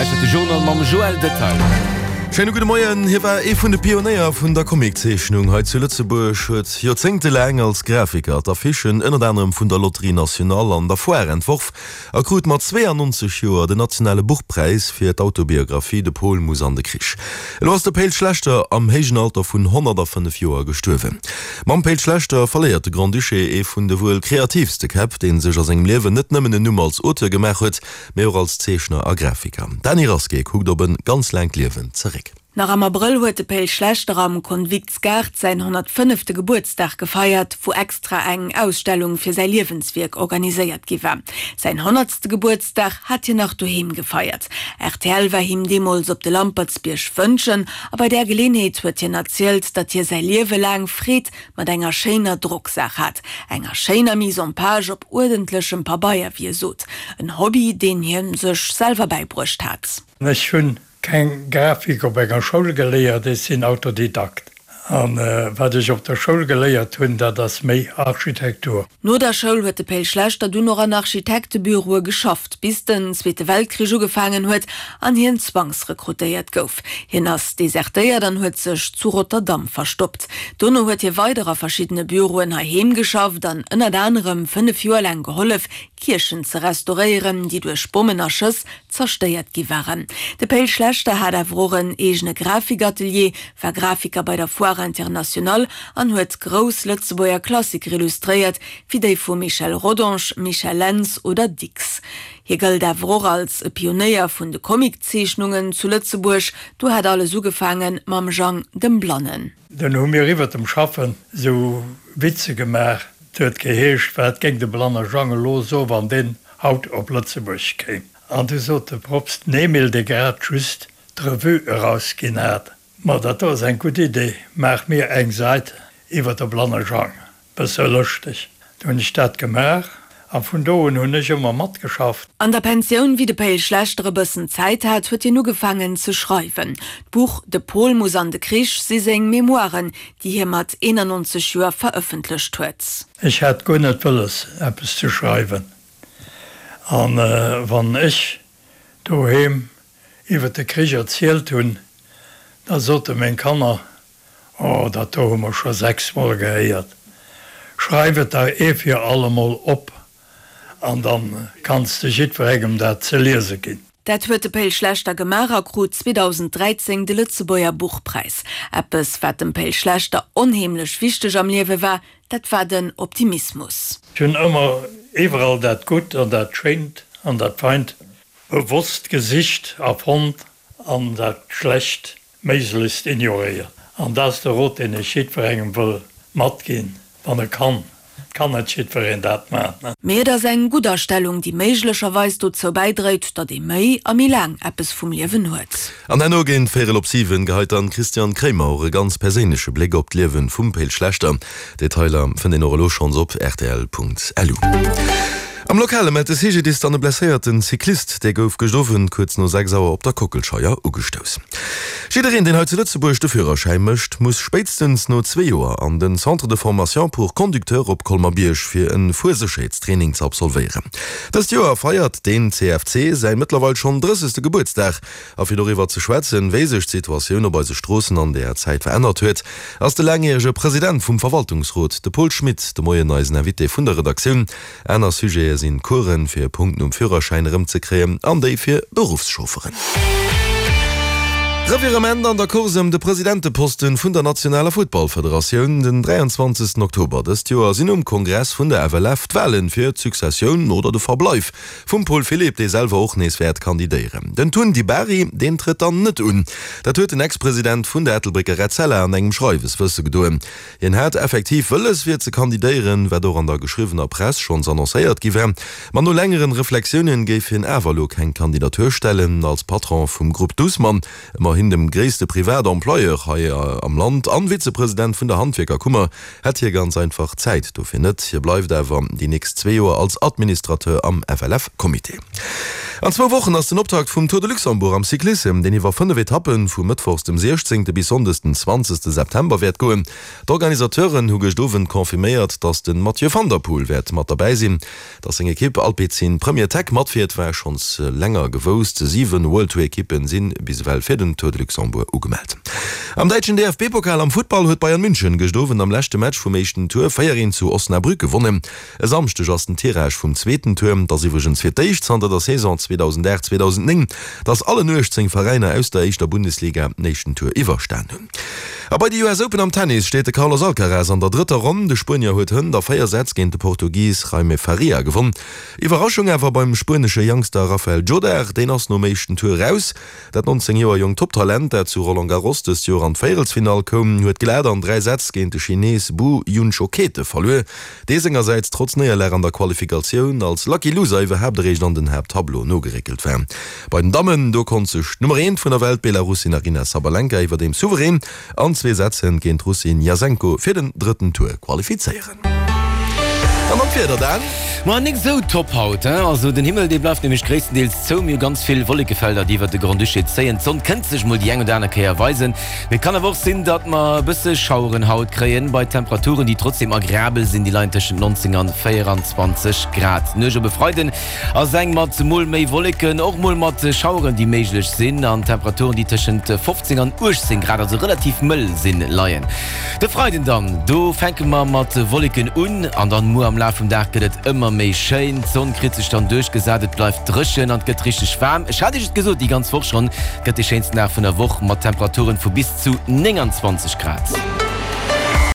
Dir lauschtert de Journal mam Joël Detail. Schéine gudde Moien. Hie war ee vun de Pionéier vun der Comiczeechnung hei zu Lëtzebuerg, huet joerzéngtelaang als Grafiker d'Affichen ënnert anerem vun der Loterie Nationale an der Foire entworf a krut mat 92 Joer den nationale Buchpräis fir d'Autobiographie De Pol muss an de Krich. Elo ass de Pe'l Schlechter am héijen Alter vun 105 Joer gestuerwen. Mam Pe'l Schlechter verléiert de Grand-Duché ee vun de wuel kreatiivste Käpp, dee sech a sengem Liewen net nëmmen en Numm als Auteur gemaach huet, mee och als Zeechner a Grafiker. D'Dany Rasqué kuckt op e ganz laangt Liewen zeréck. Nach am Abrëll huet de Pe'l Schlechter am Konviktsgaart säin 105. Gebuertsdag gefeiert, wou extra eng Ausstellung fir säi Liewenswierk organiséiert gi war. Säin honnertste Gebuertsdag hat hien nach doheem gefeiert. Rtl war him deemools op de Lampertsbierg wënschen a bei där Geleenheet huet hien erzielt, datt hie säi Liewe laang Freed mat enger schéiner Drocksaach hat, enger schéiner Mise en page op uerdentlechem Pabeier, wéi e sot. En Hobby, deen hie sech selwer bäibruecht hat. Ech hunn Keng Grafik op enger Schoul geléiert, ech sinn Autodidakt. A wat ech op der Schoul geléiert hunn, dat ass méi Architektur. No der Schoul huet de Pe'l Schlechter dunn och an Architektebüroe geschafft, bis den Zweete Weltkrich ugefaangen huet an hien zwangsrekrutéiert gouf. Hien ass desertéiert an huet sech zu Rotterdam verstoppt. Dono huet hie weider a verschiddene Büroen heiheem geschafft an ënnert anerem 5 Joer laang gehollef, Kierchen ze restauréieren, déi duerch Bommen a Schëss zerstéiert gi waren. De Pe'l Schlechter hat awer och en eegene Grafikatelier, war Grafiker bei der Foire Internationale an huet grouss Lëtzebuerger Klassiker illustréiert, wéi déi vu Michel Rodange, Michel Lentz oder Dicks. Hie gëllt awer och als e Pionéier vun de Comiczeechnungen zu Lëtzebuerg. Do hat alles ugefaange mam Jang dem Blannen. Dunn hu mir iwwert dem Schaffen sou Witze gemaach. 't huet geheescht, Wat géing de blanne Jang elo soen, wann deen haut op Lëtzebuerg kéim? An du sot de Probst den Emil, dee grad just d'Revue erausginn hat, Ma dat do ass eng gutt Idee, maach mir eng Sait iwwer de blanne Jang, bësse lëschteg. Du hunn ech dat gemaach a vun do un hunn ech ëmmer matgeschafft. An der Pensioun, wéi de Pe'l Schlechter e bëssen Zäit hat, huet hien ugefaangen ze schreiwen. D'Buch De Pol muss an de Krich si seng Memoiren, déi hie mat 91 Joer verëffentlecht huet. Ech hat guer net wëlles, eppes ze schreiwen. An wann ech doheem iwwer de Krich erzielt hunn, da sote meng Kanner, Oh, dat do hu mer scho sechsmol gehéiert. Schreif et der ee fir allemol op an da kanns de jiddwerengem dat ze liese ginn. Dat huet de Pe'l Schlechter gemaach a krut 2013 de Lëtzebuerger Buchpräis. Eppes, wat dem Pe'l Schlechter onheemlech wichteg am Liewe war, dat war den Optimismus. Ech hunn ëmmer iwwerall dat Gutt an dat Schéint an dat Feint bewosst gesicht a fonnt an dat Schlecht méiglechst ignoréiert. An dat ass de Rot, deen ech jiddwerengem wëll matginn, wann e kann. Et kann net jiddwereen dat maachen. Mee et ass eng gutt Astellung, déi méiglecherweis dozou bäidréit, datt ee méi a méi laang eppes vum Liewen huet. An herno géint véierel op 7 geheit dann d'Christiane Kremer och e ganz perséinleche Bléck op d'Liewen vum Pe'l Schlechter. Detailer fënnt een och elo schonns op rtl.lu. Am Lokale mellt de CGDIS dann e blesséierten Cyclist. Dee gouf gëscht Owend kuerz no 6 Auer op der Kockelscheier ugestouss. Jiddereen, deen hei zu Lëtzebuerg de Führerschäi mécht, muss spéitstens no zwee Joer an den Centre de formation pour conducteurs op Colmer-Bierg fir e Fuersécherheetstraining ze absolvéieren. Dëst Joer feiert deen CFC säi mëttlerweil schonn drëssegste Gebuertsdag. A fir doriwwer ze schwätzen, wéi sech d'Situatioun op eise Stroossen an deeër Zäit verännert huet, ass de laangjärege President vum Verwaltungsrot, de Paul Schmit, de Moien eisen Invité vun der Redaktioun. Aner Sujete sinn d'Coursen, fir Punkten um Führerschäin erëmzekréien, an déi fir Beruffschaufferen. Revirement an der Course ëm de Presidenteposten vun der nationaler Futtballfederatioun. Den 23 Oktober dëst Joer sinn um Kongress vun der FLF d'Walen fir d'Successioun oder de Verbleif Vum Paul Philipp, dee selwer och nees wäert kandidéieren. Den Tun Di Bari, deen trëtt dann net un. Dat huet den Ex-President vun der Ettelbrécker Etzella an engem Schreiwes wësse gedoen. Hien hat effektiv wëlles fir ze kandidéieren, wat och an der geschriwwener Press schonns annoncéiert gi war. Ma no längeren Reflexiounen géif hien awer elo keng Kandidatur stellen. Als Patron vum Grupp Dussmann, ëmmerhin dem gréisste Privat-Employeur hei am Land, an Vizepresident vun der Handwierkerkummer, Hätt hie ganz einfach d'Zäit dofir net. Hie bleift awer déi nächst zwee Joer als Administrateur am FLF-Comité. An zwou Wochen ass den Optakt vum Tour de Luxembourg am Cyclissem, deen iwwer 5 Etappen vu mëttwochs dem 16. bis sonndes den 20. September wäert goen. D'Organisateuren hu gëscht Owend confirméiert, datt de Mathieu van der Poel wäert mat derbäi sinn. Datt seng Ekipp Alpecin Premier Tech matfiert, war schonns länger gewousst. 7 World Tour Ekippen si bis ewell fir den Tour de Luxembourg ugemellt. Am däitschen DFB-Pokal am Futtball huet Bayern München gëscht Owend am leschte Match vum éischten Tour 4, 1 zu Osnabrück gewonnen. E Samschdeg ass den Tirage vum zweeten Tour. Et ass iwwregens fir d'éischt zanter der Saison 2008, 2009, datt allen 18 Veräiner aus der éischter Bundesliga den éischten Tour iwwerstan hunn. A bei de US Open am Tennis steet de Carlos Alcaraz an der drëtter Ronn. De Spuenier huet hënt a 4 Sätz géint de Portugis Jaime Faria gewonn. Iwwerraschung awer beim spuenesche Youngster Rafael Jodar, deen ass nom éischten Tour raus. Dat 19 Joer jonkt Top-Talent, dat zu Roland Garros dëst Joer an d'Véierelsfinall koum, huet glat an 3 Sätz géint de Chines Bu Junchokete verluer. Dee sengersäits trotz Néierlag an der Qualifikatioun als Lucky Loser iwwerhaapt eréischt an den Haapttableau nogeréckelt war. Bei den Dammen, do konnt sech d'Nummer eent vun der Welt, d'Belarussin Aryna Sabalenka, iwwerdeems souverän an zwee Sätz géint d'Russin Jasenko fir den drëtten Tour qualifizéieren. An dann d'Wieder, Dan? Ma nik esou top haut, hein? Also den Himmel dee bleift nämlech gréisstendeels zou, mir hu ganz vill Wollekefelder déi iwwert de Grand-Duché zéien. D'Sonn kënnt sech mol déi eng oder aner Kéier weisen, Mee et kann awer och sinn, datt mer e bësse Schaueren haut kréien, bei Temperaturen, déi trotzdeem agreabel sinn, déi leien tëschent 19 an 24 Grad. D'Nuecht op e Freiden ass eng mat mol méi Wolleken, och mol mat Schaueren, déi méiglech sinn, an Temperaturen, déi tëschent 15 an 18 Grad, also relativ mëll sinn, leien. De Freiden dann, do fänke mer mat Wolleken un an dann muer am Laf vum Dag gëtt et ëmmer méi schéin. D'Sonn kritt sech dann duerchgesat, et bleift dréchen an et gëtt richteg waarm. Ech hat Iech et gesot déi ganz Woch schonn, Gëtt de schéinsten Dag vun der Woch mat Temperaturen vu bis zu 29 Grad.